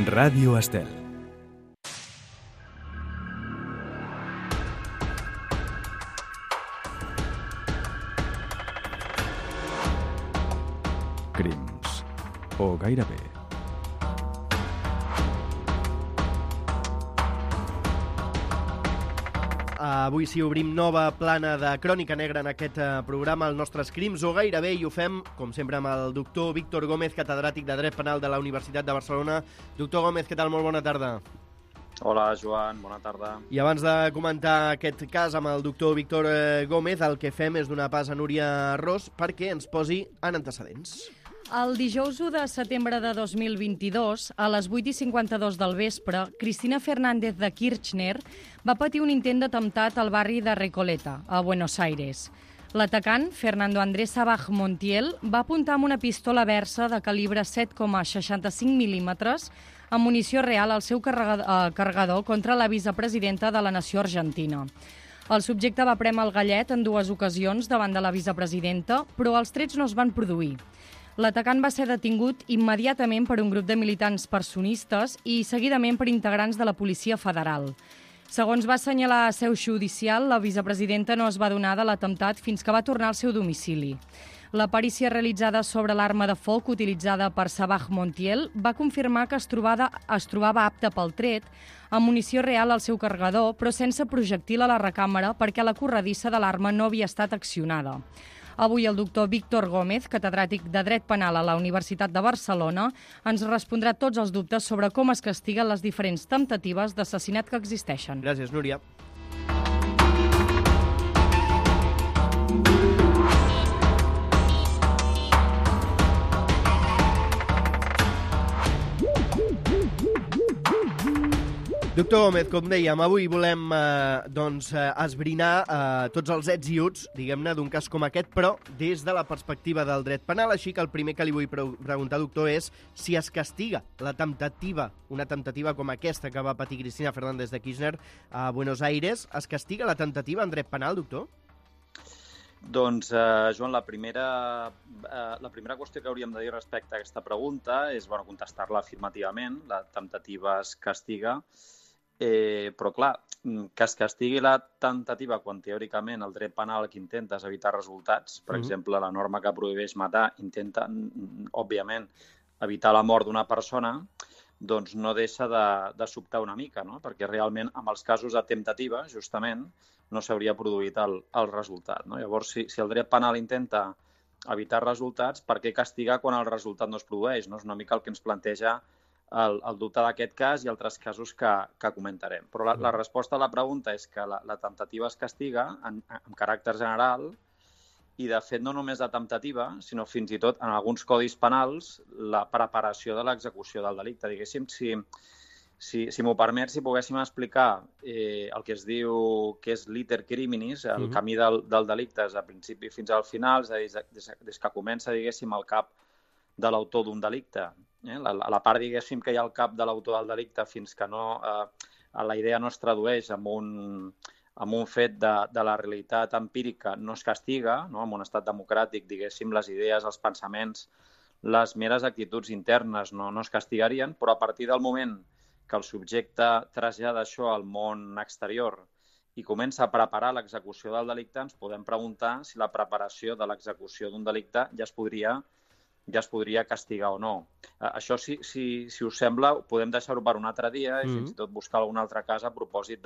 Ràdio Estel. Crims. O gairebé. Avui sí obrim nova plana de Crònica Negra en aquest programa, els nostres crims o gairebé, i ho fem, com sempre, amb el doctor Víctor Gómez, catedràtic de Dret Penal de la Universitat de Barcelona. Doctor Gómez, què tal? Molt bona tarda. Hola, Joan, bona tarda. I abans de comentar aquest cas amb el doctor Víctor Gómez, el que fem és donar pas a Núria Ros perquè ens posi en antecedents. El dijous 1 de setembre de 2022, a les 8:52 del vespre, Cristina Fernández de Kirchner va patir un intent d'atemptat al barri de Recoleta, a Buenos Aires. L'atacant, Fernando Andrés Sabaj Montiel, va apuntar amb una pistola Versa de calibre 7,65 mil·límetres amb munició real al seu carregador contra la vicepresidenta de la nació argentina. El subjecte va prémer el gallet en 2 ocasions davant de la vicepresidenta, però els trets no es van produir. L'atacant va ser detingut immediatament per un grup de militants personistes i seguidament per integrants de la Policia Federal. Segons va assenyalar a seu judicial, la vicepresidenta no es va adonar de l'atemptat fins que va tornar al seu domicili. La perícia realitzada sobre l'arma de foc utilitzada per Sabaj Montiel va confirmar que es trobava apta pel tret, amb munició real al seu carregador, però sense projectil a la recàmera perquè la corredissa de l'arma no havia estat accionada. Avui el doctor Víctor Gómez, catedràtic de Dret Penal a la Universitat de Barcelona, ens respondrà tots els dubtes sobre com es castiguen les diferents temptatives d'assassinat que existeixen. Gràcies, Núria. Doctor Gómez, com dèiem, avui volem esbrinar tots els ets i uts, diguem-ne, d'un cas com aquest, però des de la perspectiva del dret penal. Així que el primer que li vull preguntar, doctor, és si es castiga la temptativa, una temptativa com aquesta que va patir Cristina Fernández de Kirchner a Buenos Aires, es castiga la temptativa en dret penal, doctor? Doncs, Joan, la primera qüestió que hauríem de dir respecte a aquesta pregunta és contestar-la afirmativament. La temptativa es castiga, però clar, que es castigui la temptativa quan teòricament el dret penal que intenta és evitar resultats, per exemple, la norma que prohibeix matar intenta, òbviament, evitar la mort d'una persona, doncs no deixa de sobtar una mica, no? Perquè realment amb els casos de temptativa, justament, no s'hauria produït el resultat, no? Llavors, si el dret penal intenta evitar resultats, per què castigar quan el resultat no es produeix? No? És una mica el que ens planteja el dubte d'aquest cas i altres casos que comentarem. Però la resposta a la pregunta és que la temptativa es castiga en caràcter general i, de fet, no només la temptativa, sinó fins i tot en alguns codis penals la preparació de l'execució del delicte. Diguéssim, si m'ho permet, si poguéssim explicar el que es diu que és l'iter criminis, el camí del delicte des del principi fins al final, és a dir, des que comença, diguéssim, el cap de l'autor d'un delicte, la part, diguéssim, que hi ha al cap de l'autor del delicte fins que la idea no es tradueix en un fet de la realitat empírica, no es castiga, no? En un estat democràtic, diguéssim, les idees, els pensaments, les meres actituds internes no es castigarien, però a partir del moment que el subjecte trasllada això al món exterior i comença a preparar l'execució del delicte, ens podem preguntar si la preparació de l'execució d'un delicte ja es podria castigar o no. Això, si us sembla, podem deixar-ho per un altre dia i fins i tot buscar algun altre cas a propòsit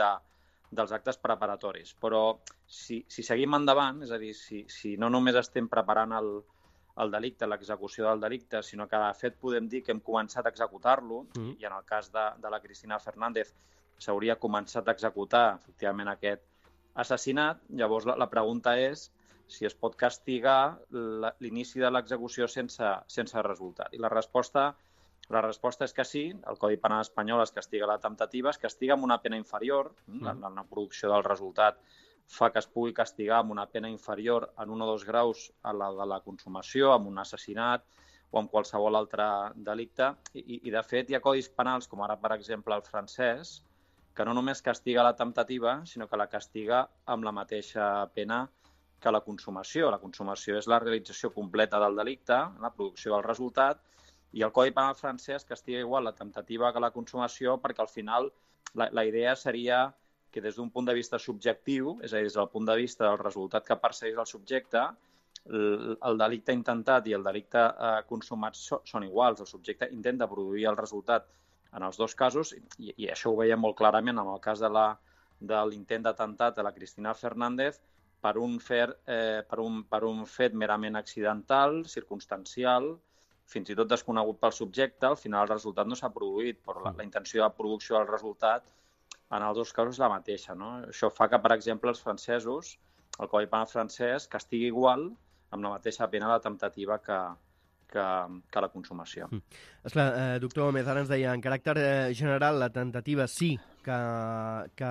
dels actes preparatoris. Però si seguim endavant, és a dir, si no només estem preparant el delicte, l'execució del delicte, sinó que, de fet, podem dir que hem començat a executar-lo, i en el cas de la Cristina Fernández s'hauria començat a executar, efectivament, aquest assassinat, llavors la pregunta és si es pot castigar l'inici de l'execució sense resultat. I la resposta és que sí. El Codi Penal espanyol es castiga la temptativa, es castiga amb una pena inferior. La producció del resultat fa que es pugui castigar amb una pena inferior en 1 o 2 graus a la de la consumació, amb un assassinat o amb qualsevol altre delicte. I de fet, hi ha codis penals, com ara, per exemple, el francès, que no només castiga la temptativa, sinó que la castiga amb la mateixa pena que la consumació. La consumació és la realització completa del delicte, la producció del resultat, I el Codi Penal francès castiga igual la temptativa que la consumació, perquè al final la idea seria que des d'un punt de vista subjectiu, és a dir, des del punt de vista del resultat que persegueix el subjecte, el delicte intentat i el delicte consumat són iguals. El subjecte intenta produir el resultat en els dos casos, i això ho veiem molt clarament en el cas de l'intent d'atemptat de la Cristina Fernández per un fet merament accidental, circumstancial, fins i tot desconegut pel subjecte. Al final el resultat no s'ha produït, però la intenció de producció del resultat en els dos casos és la mateixa, no? Això fa que, per exemple, els francesos, el Codi Penal francès, castigui igual amb la mateixa pena la temptativa que la consumació. Esclar, doctor Gómez, ara ens deia, en caràcter general, la temptativa sí que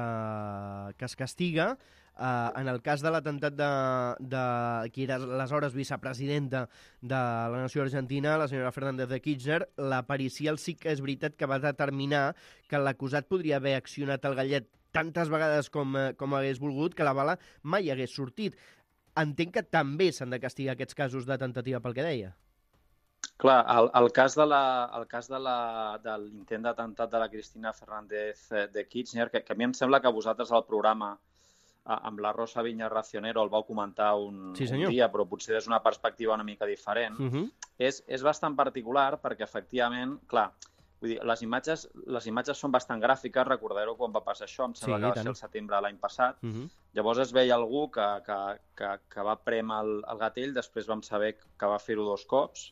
es castiga. En el cas de l'atemptat de qui era aleshores vicepresidenta de la nació argentina, la senyora Fernández de Kirchner, la pericial sí que és veritat que va determinar que l'acusat podria haver accionat el gallet tantes vegades com hagués volgut, que la bala mai hagués sortit. Entenc que també s'han de castigar aquests casos de temptativa pel que deia. Clar, el cas de l'intent d'atemptat de la Cristina Fernández de Kirchner, que a mi em sembla que vosaltres al programa amb la Rosa Viñas Racionero el vau comentar un dia, però potser des d'una perspectiva una mica diferent, és bastant particular perquè, efectivament, clar, vull dir, les imatges són bastant gràfiques. Recordareu quan va passar això, em sembla que va ser el setembre de l'any passat. Llavors es veia algú que va prémer el gatell, després vam saber que va fer-ho 2 cops.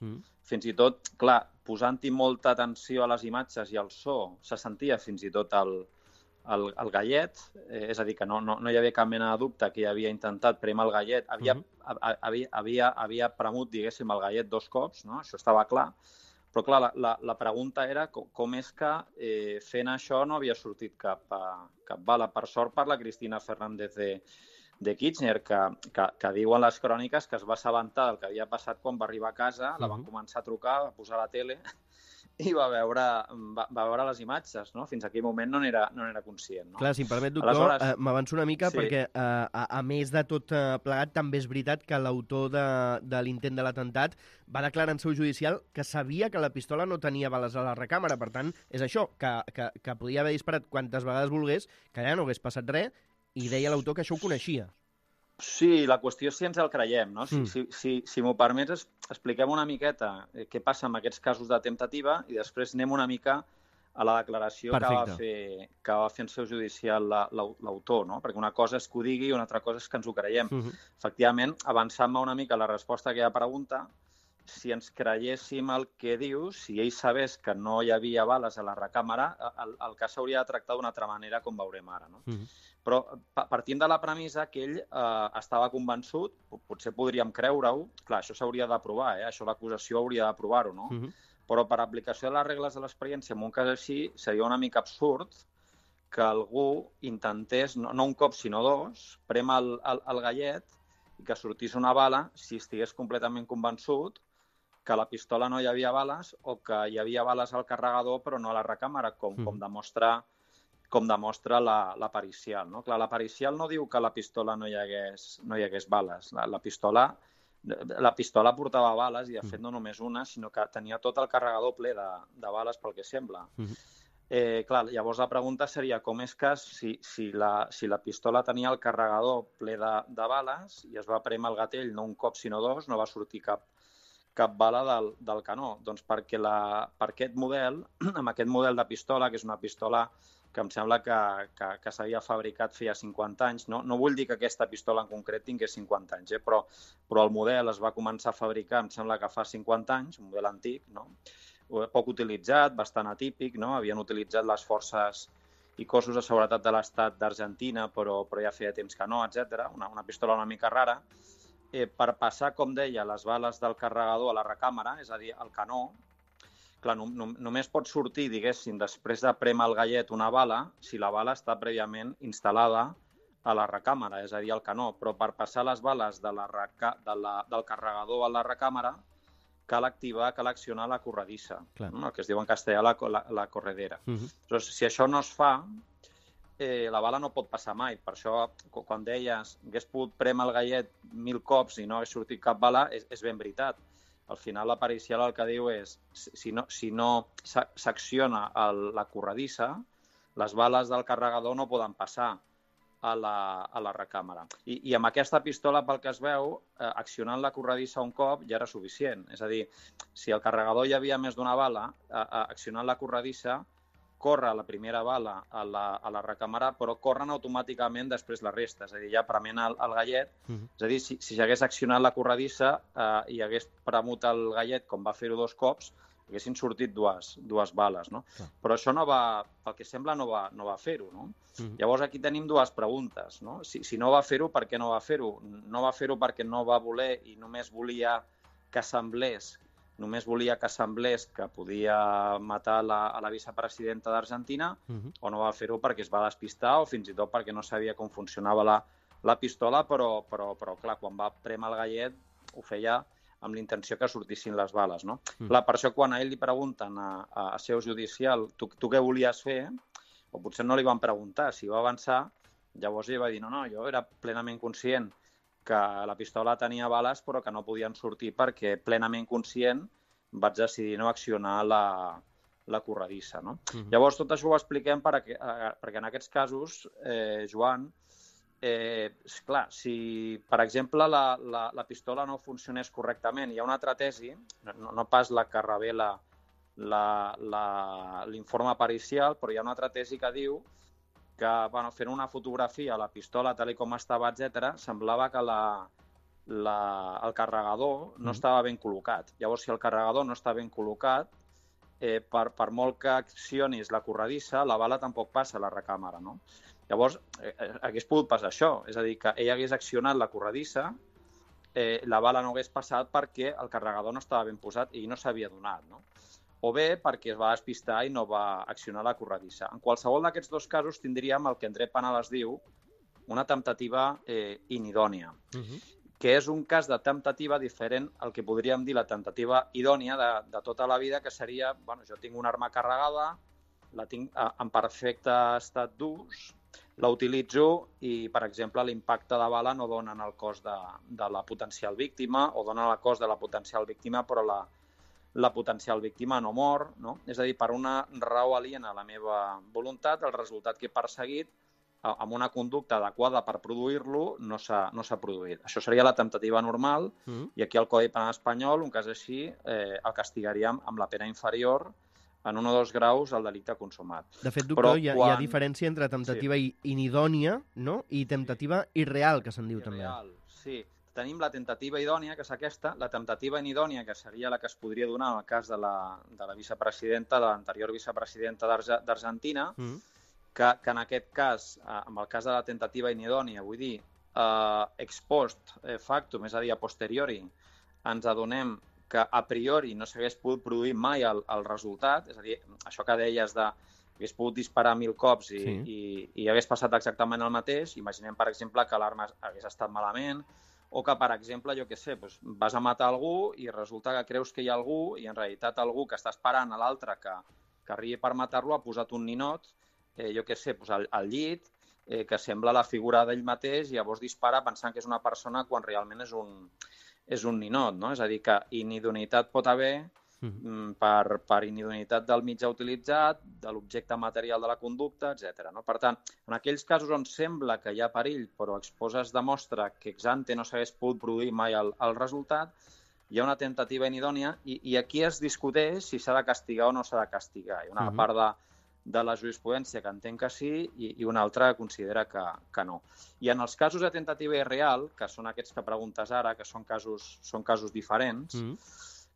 Fins i tot, clar, posant-hi molta atenció a les imatges i al so, se sentia fins i tot el gallet, és a dir, que no hi havia cap mena de dubte que havia intentat prémer el gallet, havia premut, diguéssim, el gallet 2 cops, no? Això estava clar, però clar, la pregunta era com és que fent això no havia sortit cap bala. Per sort per la Cristina Fernández de Kirchner, que diuen les cròniques que es va assabentar del que havia passat quan va arribar a casa, la van començar a trucar, va posar la tele i va veure les imatges, no? Fins a aquell moment no n'era conscient. No? Clar, si em permet, doctor, m'avanço una mica, sí. Perquè a més de tot plegat, també és veritat que l'autor de l'intent de l'atemptat va declarar en seu judicial que sabia que la pistola no tenia bales a la recàmera. Per tant, és això, que podia haver disparat quantes vegades volgués, que ja no hagués passat res, i deia l'autor que això ho coneixia. Sí, la qüestió és si ens el creiem, no? Si m'ho permets, expliquem una miqueta què passa amb aquests casos de temptativa i després anem una mica a la declaració que va fer en seu judicial l'autor, no? Perquè una cosa és que ho digui i una altra cosa és que ens ho creiem. Efectivament, avançant-me una mica a la resposta a aquella pregunta, si ens creiéssim el que diu, si ell sabés que no hi havia bales a la recàmera, el cas s'hauria de tractar d'una altra manera, com veurem ara, no? Però partint de la premissa que ell estava convençut, potser podríem creure-ho, clar, això s'hauria de provar, això l'acusació hauria de provar-ho, no? Però per aplicació de les regles de l'experiència, en un cas així, seria una mica absurd que algú intentés, no un cop sinó 2, prémer el gallet i que sortís una bala si estigués completament convençut que a la pistola no hi havia bales o que hi havia bales al carregador però no a la recàmera, com demostra la pericial. No? Clar, la pericial no diu que a la pistola no hi hagués bales. La pistola portava bales i, de fet, no només una, sinó que tenia tot el carregador ple de bales, pel que sembla. Clar, llavors la pregunta seria com és que si la pistola tenia el carregador ple de bales i es va prémer el gatell no un cop sinó 2, no va sortir cap bala del canó. Doncs perquè per aquest model, amb aquest model de pistola, que és una pistola que em sembla que s'havia fabricat feia 50 anys. No vull dir que aquesta pistola en concret tingués 50 anys, però el model es va començar a fabricar, em sembla que fa 50 anys, un model antic, no? Poc utilitzat, bastant atípic, no? Havien utilitzat les forces i cossos de seguretat de l'Estat d'Argentina, però ja feia temps que no, etc. Una pistola una mica rara. Per passar, com deia, les bales del carregador a la recàmera, és a dir, el canó, clar, només pot sortir, diguéssim, després de prémer el gallet una bala, si la bala està prèviament instal·lada a la recàmera, és a dir, al canó. Però per passar les bales del carregador a la recàmera cal accionar la corredissa, el que es diu en castellà la corredera. Llavors, si això no es fa, la bala no pot passar mai. Per això, quan deies que hagués pogut prémer el gallet 1000 cops i no hagués sortit cap bala, és ben veritat. al final la pericial el que diu és si no s'acciona la corredissa, les bales del carregador no poden passar a la recàmera. I amb aquesta pistola, pel que es veu, accionant la corredissa un cop ja era suficient. És a dir, si al carregador hi havia més d'una bala, accionant la corredissa, corre la primera bala a la recàmera, però corren automàticament després la resta. És a dir, ja prement el gallet. És a dir, si s'hagués accionat la corredissa i hagués premut el gallet, com va fer-ho 2 cops, haguessin sortit dues bales, no? Però això pel que sembla, no va fer-ho, no? Llavors aquí tenim 2 preguntes, no? Si no va fer-ho, per què no va fer-ho? No va fer-ho perquè no va voler i només volia que semblés que podia matar a la vicepresidenta d'Argentina, o no va fer-ho perquè es va despistar o fins i tot perquè no sabia com funcionava la pistola, però clar, quan va prémer el gallet ho feia amb l'intenció que sortissin les bales, no? Clar, per això quan a ell li pregunten a seu judicial tu què volies fer, o potser no li van preguntar, si va avançar, llavors ell va dir no, jo era plenament conscient que la pistola tenia bales però que no podien sortir perquè plenament conscient vaig decidir no accionar la corredissa, no? Llavors tot això ho expliquem perquè en aquests casos, Joan, clar, si, per exemple, la pistola no funcionés correctament, hi ha una altra tesi, no pas la que revela l'informe pericial, però hi ha una altra tesi que diu que, fent una fotografia a la pistola tal com estava, etc., semblava que el carregador no estava ben col·locat. Llavors, si el carregador no està ben col·locat, per molt que accionis la corredissa, la bala tampoc passa a la recàmera, no? Llavors, hagués pogut passar això, és a dir, que ell hagués accionat la corredissa, la bala no hagués passat perquè el carregador no estava ben posat i no s'havia donat, no? O bé perquè es va despistar i no va accionar la corredissa. En qualsevol d'aquests 2 casos tindríem el que en dret penal es diu una temptativa inidònia, que és un cas de temptativa diferent al que podríem dir la temptativa idònia de tota la vida, que seria, jo tinc una arma carregada, la tinc en perfecte estat d'ús, la utilitzo i, per exemple, l'impacte de bala no dona en el cos de la potencial víctima o dona en el cos de la potencial víctima, però la potencial víctima no mor, no? És a dir, per una raó aliena a la meva voluntat, el resultat que he perseguit amb una conducta adequada per produir-lo no s'ha produït. Això seria la temptativa normal i aquí al Codi Penal espanyol, un cas així, el castigaríem amb la pena inferior en 1 o 2 graus el delicte consumat. De fet, doctor, hi ha diferència entre temptativa inidònia, no? I temptativa irreal, que se'n diu també. Sí. Tenim la temptativa idònia, que és aquesta, la temptativa inidònia, que seria la que es podria donar en el cas de la vicepresidenta, de l'anterior vicepresidenta d'Argentina, que en aquest cas, en el cas de la temptativa inidònia, vull dir, ex post factum, és a dir, a posteriori, ens adonem que a priori no s'hagués pogut produir mai el resultat, és a dir, això que deies hagués pogut disparar 1000 cops i hagués passat exactament el mateix. Imaginem, per exemple, que l'arma hagués estat malament, o que, per exemple, jo què sé, vas a matar algú i resulta que creus que hi ha algú i en realitat algú que està esperant a l'altre que arribi per matar-lo ha posat un ninot, jo què sé, al llit, que sembla la figura d'ell mateix i llavors dispara pensant que és una persona quan realment és un ninot, no? És a dir, que inidoneïtat pot haver per inidoneïtat del mitjà utilitzat, de l'objecte material de la conducta, etc. No? Per tant, en aquells casos on sembla que hi ha perill, però es demostra que ex ante no s'hagués pogut produir mai el resultat, hi ha una temptativa inidònia i aquí es discuteix si s'ha de castigar o no s'ha de castigar. Hi ha una part de la jurisprudència que entenc que sí i una altra que considera que no. I en els casos de temptativa irreal, que són aquests que preguntes ara, que són casos diferents,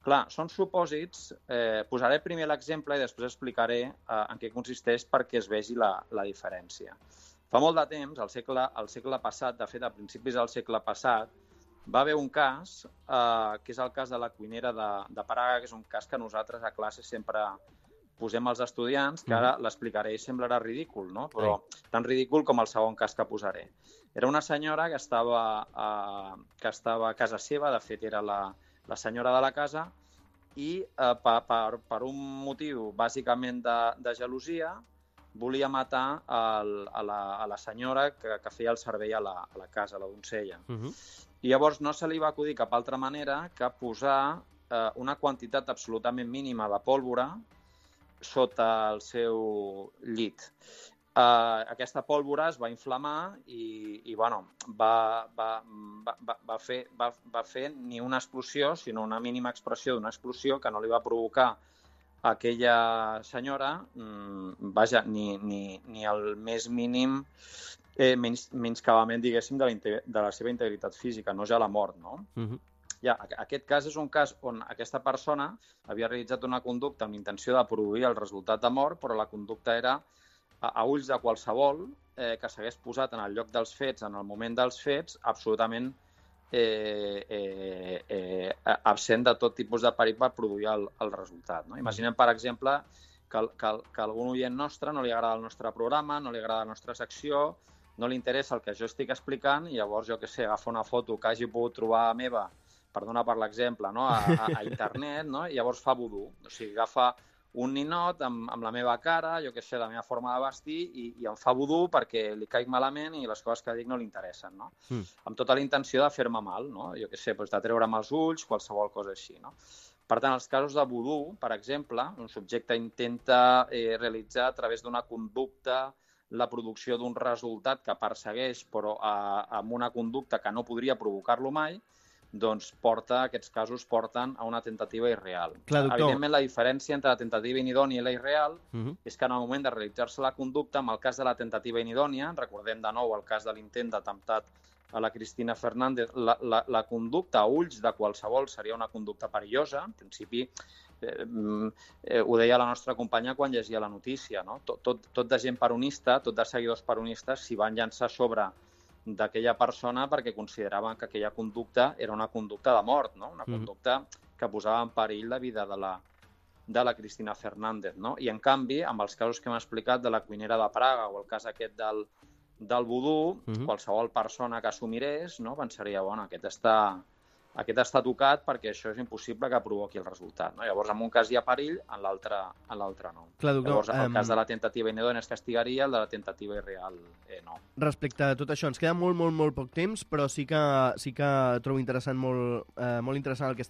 clar, són supòsits, posaré primer l'exemple i després explicaré en què consisteix perquè es vegi la diferència. Fa molt de temps, al segle passat, de fet a principis del segle passat, va haver un cas, que és el cas de la cuinera de Praga, que és un cas que nosaltres a classe sempre posem als estudiants, que ara l'explicaré i semblarà ridícul, no? Però tan ridícul com el segon cas que posaré. Era una senyora que estava a casa seva, de fet era la senyora de la casa, i per un motiu bàsicament de gelosia volia matar a la senyora que feia el servei a la casa, a la donzella. I llavors no se li va acudir cap altra manera que posar una quantitat absolutament mínima de pólvora sota el seu llit. Aquesta pólvora es va inflamar i bueno, va fer ni una explosió, sinó una mínima expressió d'una explosió que no li va provocar a aquella senyora, vaja, ni el més mínim menyscabament, diguéssim, de la seva integritat física, no ja la mort, no? Ja, aquest cas és un cas on aquesta persona havia realitzat una conducta amb intenció de produir el resultat de mort, però la conducta era a ulls de qualsevol que s'hagués posat en el lloc dels fets, en el moment dels fets, absolutament absent de tot tipus de perill per produir el resultat. No? Imaginem, per exemple, que algun oient nostre no li agrada el nostre programa, no li agrada la nostra secció, no li interessa el que jo estic explicant i llavors, jo què sé, agafa una foto que hagi pogut trobar meva, per donar per l'exemple, no? a internet, no? I llavors fa vudú. O sigui, agafa un ninot amb la meva cara, jo què sé, la meva forma de vestir i em fa vudú perquè li caic malament i les coses que dic no li interessen, no? Amb tota la intenció de fer-me mal, no? Jo què sé, doncs de treure'm els ulls, qualsevol cosa així, no? Per tant, els casos de vudú, per exemple, un subjecte intenta realitzar a través d'una conducta la producció d'un resultat que persegueix, però amb una conducta que no podria provocar-lo mai, doncs aquests casos porten a una tentativa irreal. Clar, doctor. Evidentment, la diferència entre la tentativa inidònia i la irreal és que en el moment de realitzar-se la conducta, en el cas de la tentativa inidònia, recordem de nou el cas de l'intent d'atemptat a la Cristina Fernández, la conducta a ulls de qualsevol seria una conducta perillosa. En principi, ho deia la nostra companya quan llegia la notícia, no? Tot de gent peronista, tot de seguidors peronistes s'hi van llançar sobre d'aquella persona perquè consideraven que aquella conducta era una conducta de mort, no? Una conducta que posava en perill la vida de la Cristina Fernández, no? I en canvi, amb els casos que hem explicat de la cuinera de Praga o el cas aquest del vudú, qualsevol persona que s'ho mirés, no? Pensaria, bueno, aquest està tocat perquè això és impossible que provoqui el resultat, no? Llavors, en un cas hi ha perill, en l'altre no. Clar, doctor, llavors, el cas de la tentativa inidònia es castigaria, el de la tentativa irreal no. Respecte a tot això, ens queda molt poc temps, però sí que trobo interessant, molt interessant el que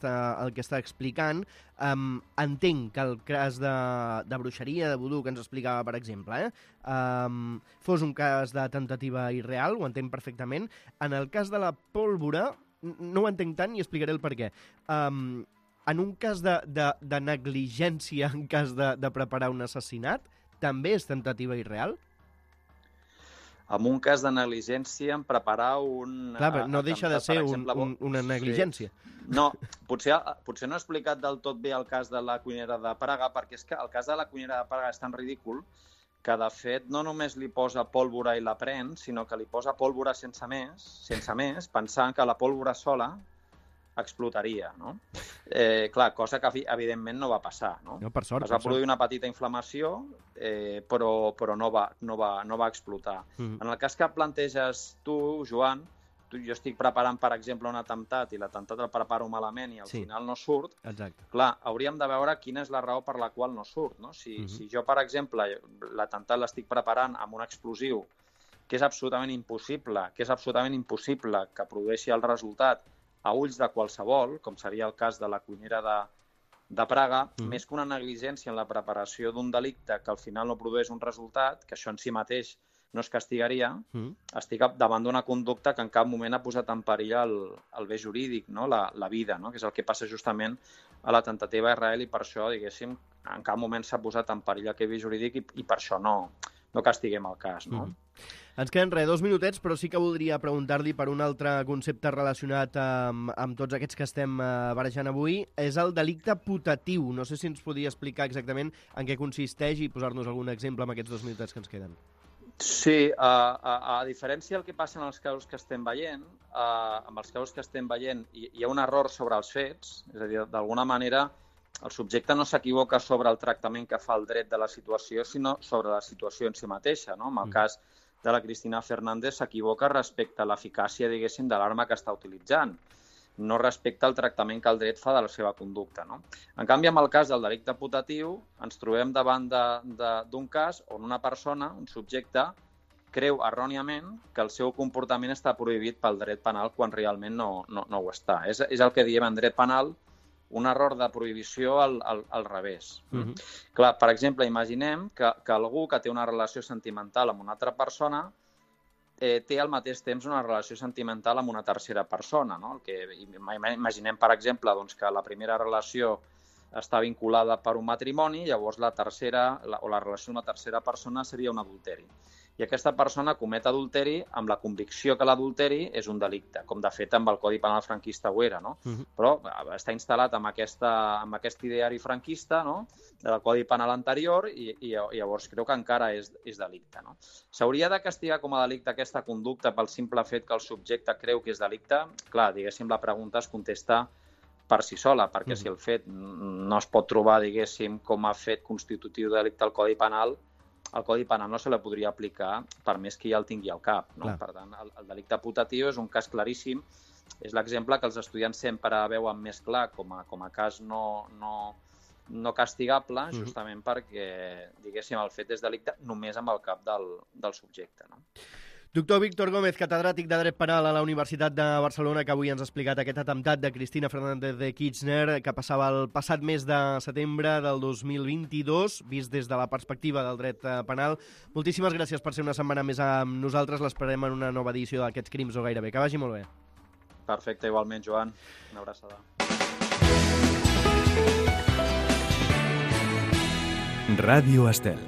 està explicant. Entenc que el cas de bruixeria, de vudú, que ens explicava, per exemple, fos un cas de tentativa irreal, ho entenc perfectament. En el cas de la pólvora, no ho entenc tant i explicaré el per què. En un cas de negligència, en cas de preparar un assassinat, també és tentativa irreal? En un cas de negligència, en preparar un... Clar, no deixa de ser una negligència. Sí. No, potser no he explicat del tot bé el cas de la cuinera de Praga, perquè és que el cas de la cuinera de Praga és tan ridícul que, de fet, no només li posa pólvora i la pren, sinó que li posa pólvora sense més, pensant que la pólvora sola explotaria, no? Clar, cosa que evidentment no va passar, no? No, per sort. Es va produir una petita inflamació, però no va explotar. En el cas que planteges tu, Joan, jo estic preparant, per exemple, un atemptat i l'atemptat el preparo malament i al final no surt. Exacte. Clar, hauríem de veure quina és la raó per la qual no surt, no? Si jo, per exemple, l'atemptat l'estic preparant amb un explosiu que és absolutament impossible que produeixi el resultat a ulls de qualsevol, com seria el cas de la cuinera de Praga, més que una negligència en la preparació d'un delicte que al final no produeix un resultat, que això en si mateix no es castigaria, estic davant d'una conducta que en cap moment ha posat en perill el bé jurídic, no? La vida, no? Que és el que passa justament a la tentativa Israel i per això, diguéssim, en cap moment s'ha posat en perill aquest bé jurídic i per això no castiguem el cas, no? Ens queden 2 minutets, però sí que voldria preguntar-li per un altre concepte relacionat amb tots aquests que estem barrejant avui. És el delicte putatiu. No sé si ens podria explicar exactament en què consisteix i posar-nos algun exemple amb aquests 2 minutets que ens queden. Sí, a diferència del que passa en els casos que estem veient, amb els casos que estem veient hi ha un error sobre els fets, és a dir, d'alguna manera el subjecte no s'equivoca sobre el tractament que fa el dret de la situació, sinó sobre la situació en si mateixa, no? En el cas de la Cristina Fernández s'equivoca respecte a l'eficàcia, diguéssim, de l'arma que està utilitzant, no respecte al tractament que el dret fa de la seva conducta, no? En canvi, en el cas del delicte putatiu, ens trobem davant d'un cas on una persona, un subjecte, creu erròniament que el seu comportament està prohibit pel dret penal quan realment no ho està. És el que diem en dret penal un error de prohibició al revés. Clar, per exemple, imaginem que algú que té una relació sentimental amb una altra persona té al mateix temps una relació sentimental amb una tercera persona. No? Imaginem, per exemple, doncs, que la primera relació està vinculada per un matrimoni, llavors la relació amb la tercera persona seria un adulteri. I aquesta persona comet adulteri amb la convicció que l'adulteri és un delicte, com de fet amb el Codi Penal franquista ho era, no? Però està instal·lat amb aquest ideari franquista, no? Del Codi Penal anterior i llavors creu que encara és delicte. No? S'hauria de castigar com a delicte aquesta conducta pel simple fet que el subjecte creu que és delicte? Clar, diguéssim, la pregunta es contesta per si sola, perquè si el fet no es pot trobar, diguéssim, com a fet constitutiu de delicte al Codi Penal, el Codi Penal no se la podria aplicar per més que ja el tingui al cap. No? Per tant, el delicte putatiu és un cas claríssim. És l'exemple que els estudiants sempre veuen més clar com a cas no castigable, justament perquè, diguéssim, el fet és delicte només amb el cap del subjecte. No? Doctor Víctor Gómez, catedràtic de Dret Penal a la Universitat de Barcelona, que avui ens ha explicat aquest atemptat de Cristina Fernández de Kirchner que passava el passat mes de setembre del 2022, vist des de la perspectiva del dret penal. Moltíssimes gràcies per ser una setmana més amb nosaltres. L'esperem en una nova edició d'Aquests crims o gairebé. Que vagi molt bé. Perfecte, igualment, Joan. Una abraçada. Ràdio Estel.